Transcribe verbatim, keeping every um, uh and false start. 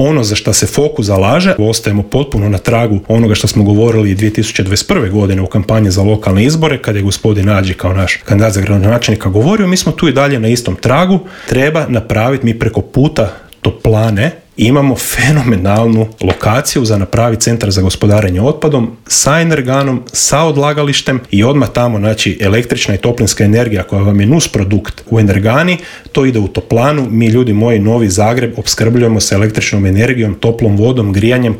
ono za što se Fokus zalaže, ostajemo potpuno na tragu onoga što smo govorili dvije tisuće dvadeset prve godine u kampanji za lokalne izbore, kad je gospodin Nađi kao naš kandidat za gradonačelnika govorio, mi smo tu i dalje na istom tragu. Treba napraviti, mi preko puta Toplane imamo fenomenalnu lokaciju za napraviti centar za gospodarenje otpadom sa energanom, sa odlagalištem i odmah tamo, znači, električna i toplinska energija koja vam je nus produkt u energani, to ide u Toplanu. Mi, ljudi moji, Novi Zagreb opskrbljujemo sa električnom energijom, toplom vodom, grijanjem